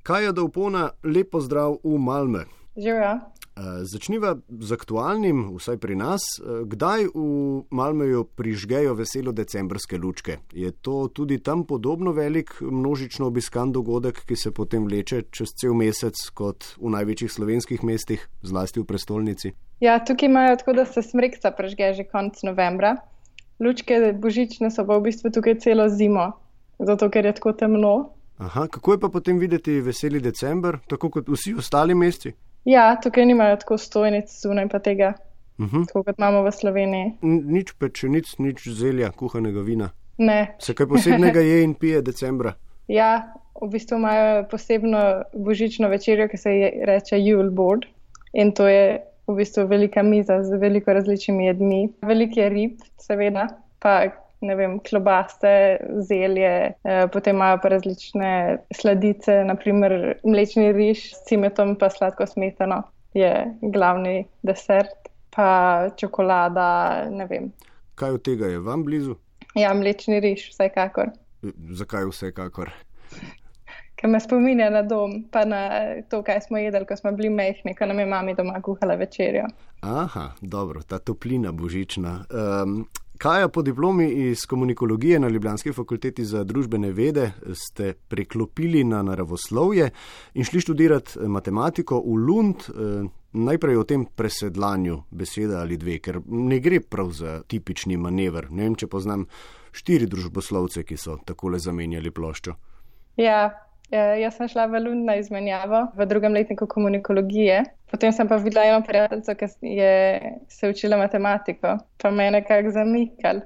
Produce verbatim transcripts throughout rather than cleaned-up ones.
Kaja Dovpona, lep pozdrav v Malmö. Živijo. Začniva z aktualnim, vsaj pri nas. Kdaj v Malmöju prižgejo veselo decembrske lučke? Je to tudi tam podobno velik množično obiskan dogodek, ki se potem vleče čez cel mesec kot v največjih slovenskih mestih, zlasti v prestolnici? Ja, tukaj imajo tako, da se smrekca prižge že konec novembra. Lučke božične so pa v bistvu tukaj celo zimo, zato ker je tako temno. Aha, kako je pa potem videti veseli december, tako kot vsi ostali meseci? Ja, tukaj nimajo tako stojnic zunaj pa tega, uh-huh. tako kot imamo v Sloveniji. N- nič pečenic, nič zelja, kuhanega vina. Ne. Se kaj posebnega je in pije decembra? Ja, v bistvu imajo posebno božično večerjo, ki se je reče Yule board, in to je v bistvu velika miza z veliko različnimi jedmi. Veliko je rib, seveda, pa ne vem, klobaste, zelje, eh, potem imajo pa različne sladice, naprimer mlečni riž s cimetom pa sladko smetano je glavni desert, pa čokolada, ne vem. Kaj od tega je vam blizu? Ja, mlečni riž, vsekakor. Zakaj vsekakor? Ker me spominja na dom, pa na to, kaj smo jedli, ko smo bili majhni, ko nam je mami doma kuhala večerjo. Aha, dobro, ta toplina božična. Um, Kaja, po diplomi iz komunikologije na ljubljanski fakulteti za družbene vede ste preklopili na naravoslovje in šli študirati matematiko v Lund. Najprej o tem presedlanju beseda ali dve, ker ne gre prav za tipični manever. Ne vem, če poznam štiri družboslovce, ki so takole zamenjali ploščo. Ja, jaz sem šla v Lund na izmenjavo v drugem letniku komunikologije. Potem sem pa videla eno prijateljico, ki je se učila matematiko, pa me je nekako zamikal.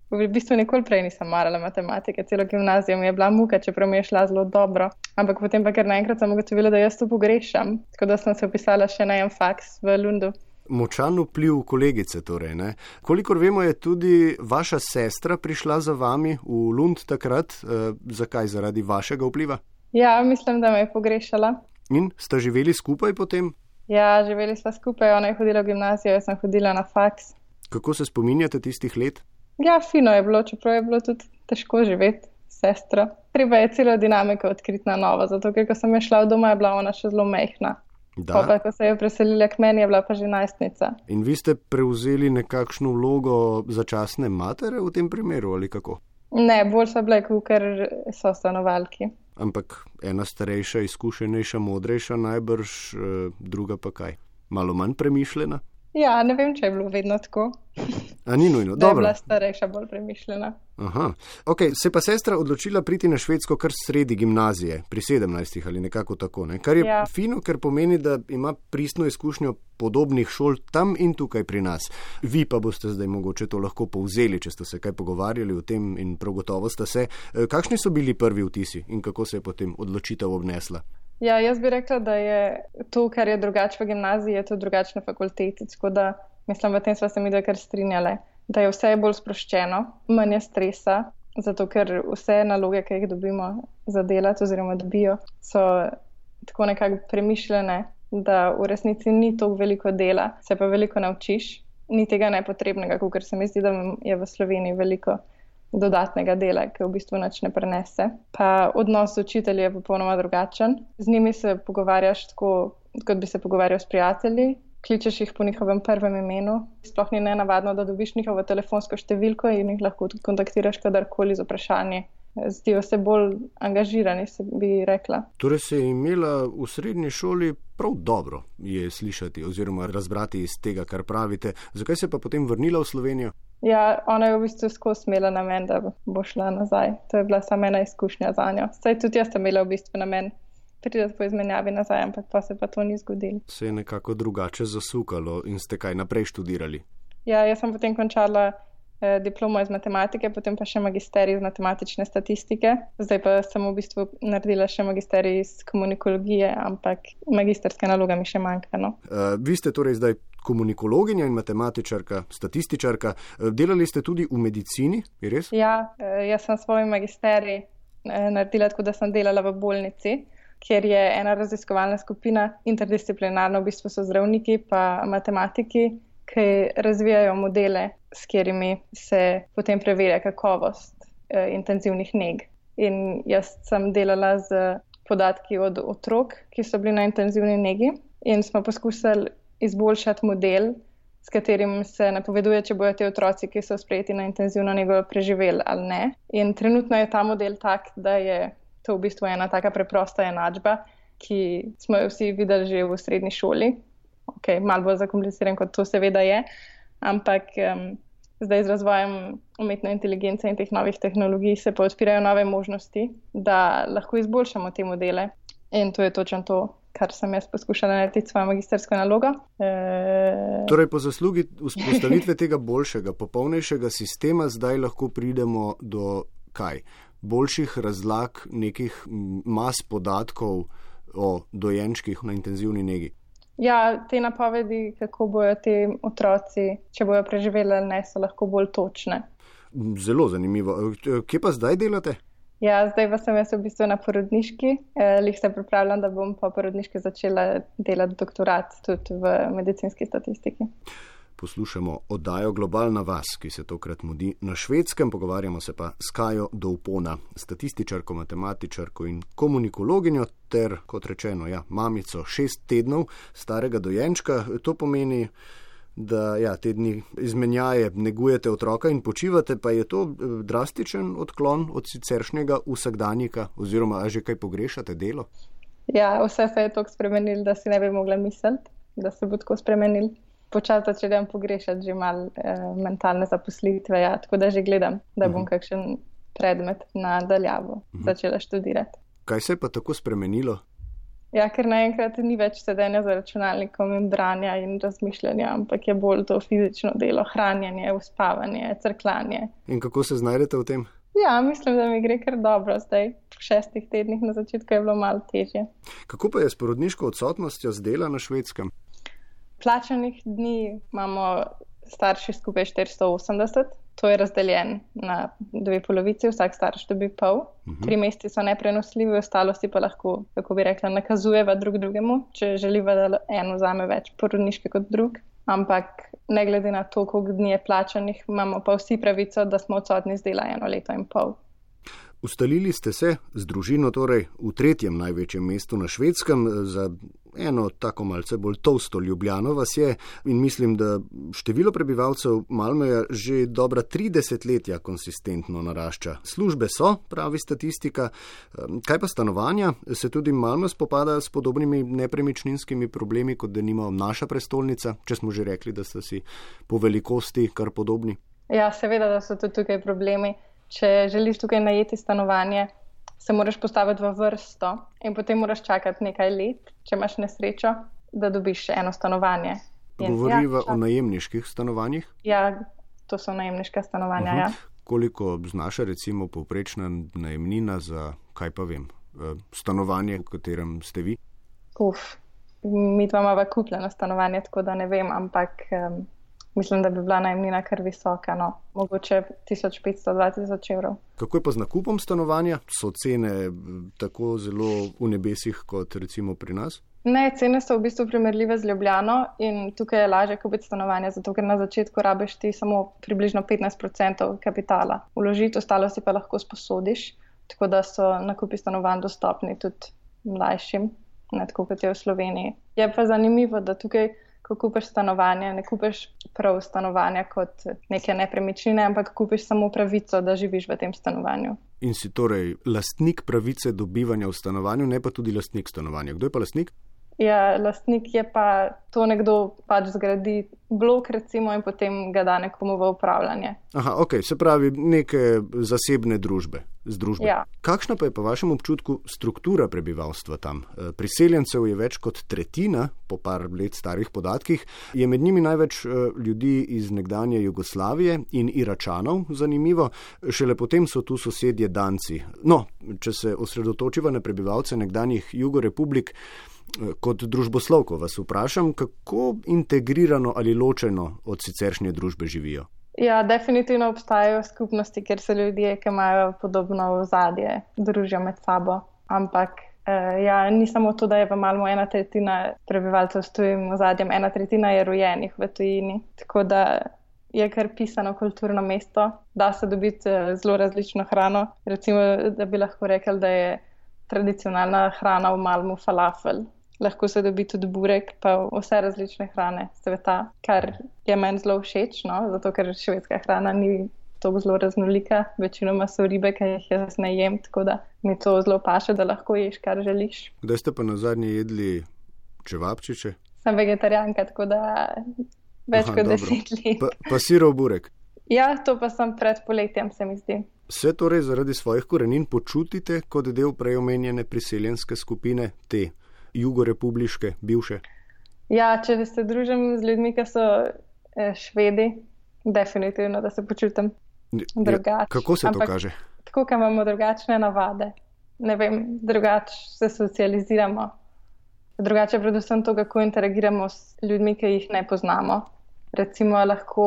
V bistvu nikoli prej nisem marala matematike, celo gimnazijo mi je bila muka, čeprav mi je šla zelo dobro. Ampak potem pa kar naenkrat sem ugotovila, da jaz to pogrešam, tako da sem se upisala še na en faks v Lundu. Močan vpliv kolegice torej, ne? Kolikor vemo, je tudi vaša sestra prišla za vami v Lund takrat. E, zakaj? Zaradi vašega vpliva? Ja, mislim, da me je pogrešala. In sta živeli skupaj potem? Ja, živeli sva skupaj, ona je hodila v gimnazijo, jaz sem hodila na faks. Kako se spominjate tistih let? Ja, fino je bilo, čeprav je bilo tudi težko živeti s sestro. Treba je celo dinamiko odkriti na novo, zato ker ko sem je šla v doma, je bila ona še zelo majhna. Da. Pa, ko se je preselila k meni, je bila pa že najstnica. In vi ste prevzeli nekakšno vlogo začasne matere v tem primeru ali kako? Ne, bolj so bile, ker so stanovalki. Ampak ena starejša, izkušenejša, modrejša najbrž, druga pa kaj? Malo manj premišljena? Ja, ne vem, če je bilo vedno tako. A ni nujno, da dobro. Da je bila starejša bolj premišljena. Aha, ok, se pa sestra odločila priti na Švedsko kar sredi gimnazije, pri sedemnajstih ali nekako tako, ne? Kar je ja. Fino, ker pomeni, da ima pristno izkušnjo podobnih šol tam in tukaj pri nas. Vi pa boste zdaj mogoče to lahko povzeli, če ste se kaj pogovarjali o tem in prav gotovo ste se. Kakšni so bili prvi vtisi in kako se je potem odločitev obnesla? Ja, jaz bi rekla, da je to, kar je drugače v gimnaziji, je to drugače na fakulteti, tako da mislim, v tem sva se mi da kar strinjale, da je vse bolj sproščeno, manj je stresa, zato ker vse naloge, ki jih dobimo za delati oziroma dobijo, so tako nekako premišljene, da v resnici ni toliko veliko dela, se pa veliko naučiš, ni tega nepotrebnega, ker se mi zdi, da je v Sloveniji veliko dodatnega dela, ki v bistvu nič ne prenese. Pa odnos z učitelji je popolnoma drugačen. Z njimi se pogovarjaš tako, kot bi se pogovarjal s prijatelji, kličeš jih po njihovem prvem imenu. Sploh ni nenavadno, da dobiš njihovo telefonsko številko in jih lahko tudi kontaktiraš kadarkoli z vprašanji. Zdijo se bolj angažirani, se bi rekla. Torej se je imela v srednji šoli prav dobro, je slišati oziroma razbrati iz tega, kar pravite. Zakaj se pa potem vrnila v Slovenijo? Ja, ona je v bistvu skozi imela namen, da bo šla nazaj. To je bila samo ena izkušnja za njo. Saj tudi jaz sem imela v bistvu namen priti po izmenjavi nazaj, ampak pa se pa to ni zgodilo. Se je nekako drugače zasukalo in ste kaj naprej študirali? Ja, jaz sem potem končala eh, diplomo iz matematike, potem pa še magisterij iz matematične statistike. Zdaj pa sem v bistvu naredila še magisterij iz komunikologije, ampak magisterska naloga mi še manjka. No? Uh, vi ste torej zdaj komunikologinja in matematičarka, statističarka. Delali ste tudi v medicini, je res? Ja, jaz sem svoj magisterij naredila tako, da sem delala v bolnici, kjer je ena raziskovalna skupina, interdisciplinarno, v bistvu so zdravniki pa matematiki, ki razvijajo modele, s katerimi se potem preverja kakovost eh, intenzivnih neg. In jaz sem delala z podatki od otrok, ki so bili na intenzivni negi in smo poskusili izboljšati model, s katerim se napoveduje, če bojo te otroci, ki so sprejeti na intenzivno nego, preživeli ali ne. In trenutno je ta model tak, da je to v bistvu ena taka preprosta enačba, ki smo jo vsi videli že v srednji šoli. Ok, malo bolj zakompliciran, kot to seveda je, ampak um, zdaj z razvojem umetne inteligence in teh novih tehnologij se pa odpirajo nove možnosti, da lahko izboljšamo te modele. In to je točno to, kar sem jaz poskušala narediti svojo magistersko nalogo. E... Torej, po zaslugi vzpostavitve tega boljšega, popolnejšega sistema zdaj lahko pridemo do kaj? Boljših razlag nekih mas podatkov o dojenčkih na intenzivni negi. Ja, te napovedi, kako bojo te otroci, če bojo preživeli ali ne, so lahko bolj točne. Zelo zanimivo. Kje pa zdaj delate? Ja, zdaj pa sem jaz v bistvu na porodniški. Eh, lih se pripravljam, da bom po porodniški začela delati doktorat tudi v medicinski statistiki. Poslušamo oddajo Globalna vas, ki se tokrat mudi na Švedskem. Pogovarjamo se pa s Kajo Doupona, statističarko, matematičarko in komunikologinjo ter, kot rečeno, ja, mamico šest tednov starega dojenčka. To pomeni, da ja, te dni izmenjaje negujete otroka in počivate, pa je to drastičen odklon od siceršnjega vsakdanjika oziroma a že kaj pogrešate delo? Ja, vse se je toliko spremenilo, da si ne bi mogla misliti, da se bo tako spremenil. Počasi začnem pogrešati že malo eh, mentalne zaposlitve, ja, tako da že gledam, da bom uh-huh. kakšen predmet nadaljavo uh-huh. začela študirati. Kaj se je pa tako spremenilo? Ja, ker naenkrat ni več sedenja za računalnikom in branja in razmišljanja, ampak je bolj to fizično delo, hranjenje, uspavanje, crkljanje. In kako se znajdete v tem? Ja, mislim, da mi gre kar dobro zdaj. V šestih tednih na začetku je bilo malo težje. Kako pa je s porodniško odsotnostjo z dela na Švedskem? Plačanih dni imamo starši skupaj štiristo osemdeset. To je razdeljen na dve polovici, vsak starš dobi pol. Uh-huh. Tri meseci so neprenosljivi, ostalo si pa lahko, kako bi rekla, nakazujeva drug drugemu, če želiva, da en vzame več porodniške kot drug. Ampak ne glede na to, koliko dni je plačanih, imamo pa vsi pravico, da smo odsotni z dela eno leto in pol. Ustalili ste se z družino torej v tretjem največjem mestu na Švedskem, za eno tako malce bolj tolsto Ljubljano vas je in mislim, da število prebivalcev Malmöja že dobra tri desetletja konsistentno narašča. Službe so, pravi statistika. Kaj pa stanovanja? Se tudi Malmö spopada s podobnimi nepremičninskimi problemi, kot denimo naša prestolnica, če smo že rekli, da so si po velikosti kar podobni? Ja, seveda, da so tudi tukaj problemi. Če želiš tukaj najeti stanovanje, se moraš postaviti v vrsto in potem moraš čakati nekaj let, če imaš nesrečo, da dobiš eno stanovanje. Govoriva ja, o najemniških stanovanjih? Ja, to so najemniška stanovanja, uh-huh. ja. Koliko znaša recimo povprečna najemnina za, kaj pa vem, stanovanje, v katerem ste vi? Uf, mi dva imava kupljeno stanovanje, tako da ne vem, ampak... Um, Mislim, da bi bila najemnina kar visoka, no. Mogoče tisoč petsto do dva tisoč evrov. Kako je pa z nakupom stanovanja? So cene tako zelo v nebesih kot recimo pri nas? Ne, cene so v bistvu primerljive z Ljubljano in tukaj je lažje kupiti stanovanje, zato ker na začetku rabiš ti samo približno petnajst procentov kapitala vložiti, ostalo si pa lahko sposodiš, tako da so nakupi stanovanj dostopni tudi mlajšim, ne tako kot je v Sloveniji. Je pa zanimivo, da tukaj ko kupiš stanovanje, ne kupiš prav stanovanja kot neke nepremičnine, ampak kupiš samo pravico, da živiš v tem stanovanju. In si torej lastnik pravice dobivanja v stanovanju, ne pa tudi lastnik stanovanja. Kdo je pa lastnik? Ja, lastnik je pa to nekdo pač zgradi blok recimo in potem ga da nekomu v upravljanje. Aha, ok, se pravi neke zasebne družbe. Združbe. Ja. Kakšna pa je po vašem občutku struktura prebivalstva tam? Priseljencev je več kot tretjina, po par let starih podatkih, je med njimi največ ljudi iz nekdanje Jugoslavije in Iračanov, zanimivo, šele potem so tu sosedje Danci. No, če se osredotočiva na prebivalce nekdanjih jugorepublik, kot družboslovko vas vprašam, kako integrirano ali ločeno od siceršnje družbe živijo? Ja, definitivno obstajajo skupnosti, kjer se ljudje, ki imajo podobno ozadje, družijo med sabo. Ampak eh, ja, ni samo to, da je v Malmö ena tretjina prebivalcev s tujim ozadjem, ena tretjina je rojenih v tujini. Tako da je kar pisano kulturno mesto, da se dobiti zelo različno hrano. Recimo, da bi lahko rekel, da je tradicionalna hrana v Malmu falafel. Lahko se dobi tudi burek, pa vse različne hrane sveta, kar je meni zelo všeč, no? Zato ker švedska hrana ni to zelo raznolika. Večinoma so ribe, ki jih jaz ne jem, tako da mi to zelo paše, da lahko ješ, kar želiš. Kdaj ste pa nazadnje jedli čevapčiče? Sem vegetarijanka, tako da več Aha, kot dobro. deset let. Pa, pa sirov burek. Ja, to pa sem pred poletjem, se mi zdi. Se torej zaradi svojih korenin počutite kot del prej omenjene priseljenske skupine, te jugorepubliške, bivše? Ja, če se družim z ljudmi, ki so eh, Švedi, definitivno, da se počutim drugače. Kako se Ampak to kaže? tako, ker imamo drugačne navade. Ne vem, drugače se socializiramo. Drugače predvsem to, kako interagiramo s ljudmi, ki jih ne poznamo. Recimo lahko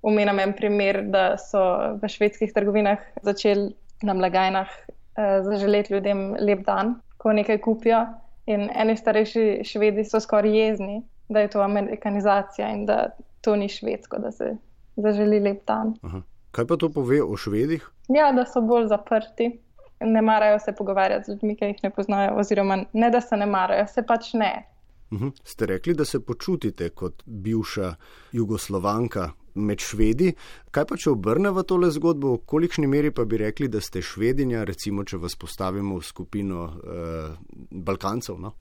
omenim en primer, da so v švedskih trgovinah začeli na blagajnah eh, zaželeti ljudem lep dan, ko nekaj kupijo. In eni starejši Švedi so skoraj jezni, da je to amerikanizacija in da to ni švedsko, da se zaželi lep dan. Aha. Kaj pa to pove o Švedih? Ja, da so bolj zaprti. Ne marajo se pogovarjati z ljudmi, ki jih ne poznajo, oziroma ne, da se ne marajo, se pač ne. Uhum. Ste rekli, da se počutite kot bivša Jugoslovanka med Švedi. Kaj pa, če obrneva tole zgodbo, v kolikšni meri pa bi rekli, da ste Švedinja, recimo, če vas postavimo v skupino eh, Balkancev, no?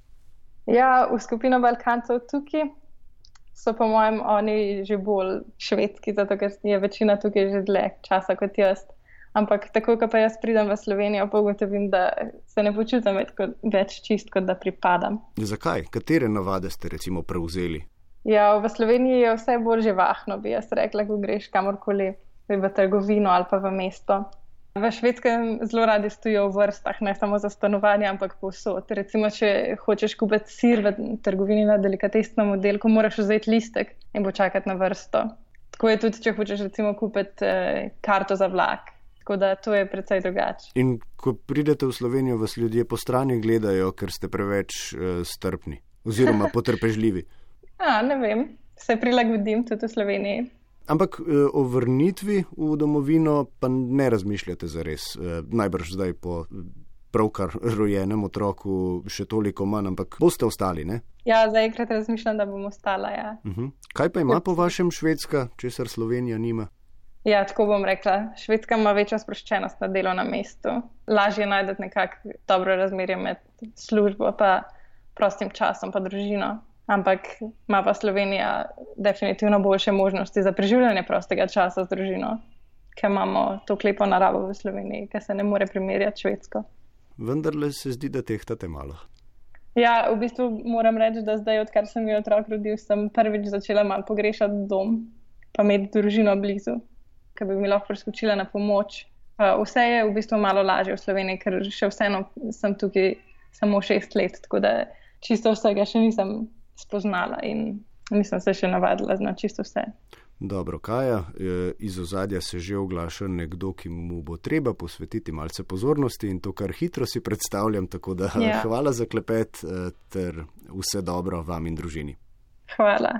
Ja, v skupino Balkancev tukaj so po mojem oni že bolj švedski, zato ker je večina tukaj že dlje časa kot jaz. Ampak tako, ko pa jaz pridem v Slovenijo, pa ugotovim, da se ne počutim več, kot, več čist, kot da pripadam. Zakaj? Katere navade ste recimo prevzeli? Ja, v Sloveniji je vse bolj živahno, bi jaz rekla, ko greš kamorkoli v trgovino ali pa v mesto. V Švedskem zelo radi stojijo v vrstah, ne samo za stanovanje, ampak povsod. Recimo, če hočeš kupiti sir v trgovini na delikatesnem oddelku, moraš vzeti listek in počakati na vrsto. Tako je tudi, če hočeš recimo kupiti eh, karto za vlak. Tako da to je precej drugače. In ko pridete v Slovenijo, vas ljudje po strani gledajo, ker ste preveč uh, strpni oziroma potrpežljivi. A, ne vem, se prilagodim tudi v Sloveniji. Ampak uh, o vrnitvi v domovino pa ne razmišljate zares. Uh, najbrž zdaj po pravkar rojenem otroku še toliko manj, ampak boste ostali, ne? Ja, zaenkrat razmišljam, da bom ostala, ja. Uh-huh. Kaj pa ima po vašem Švedska, česar Slovenija nima? Ja, tako bom rekla. Švedska ima večjo sproščenost na delovnem mestu. Lažje najdete nekako dobro razmerje med službo pa prostim časom pa družino. Ampak ima pa Slovenija definitivno boljše možnosti za preživljanje prostega časa z družino, ker imamo to lepo naravo v Sloveniji, ker se ne more primerjati Švedsko. Vendarle se zdi, da tehtate malo. Ja, v bistvu moram reči, da zdaj, odkar sem bil otrok rodil, sem prvič začela malo pogrešati dom, pa imeti družino blizu, ki bi mi lahko priskočila na pomoč. Uh, vse je v bistvu malo lažje v Sloveniji, ker še vseeno sem tukaj samo šest let, tako da čisto vsega še nisem spoznala in nisem se še navadila na čisto vse. Dobro, Kaja, iz ozadja se že oglaša nekdo, ki mu bo treba posvetiti malce pozornosti in to kar hitro si predstavljam, tako da ja. Hvala za klepet ter vse dobro vam in družini. Hvala.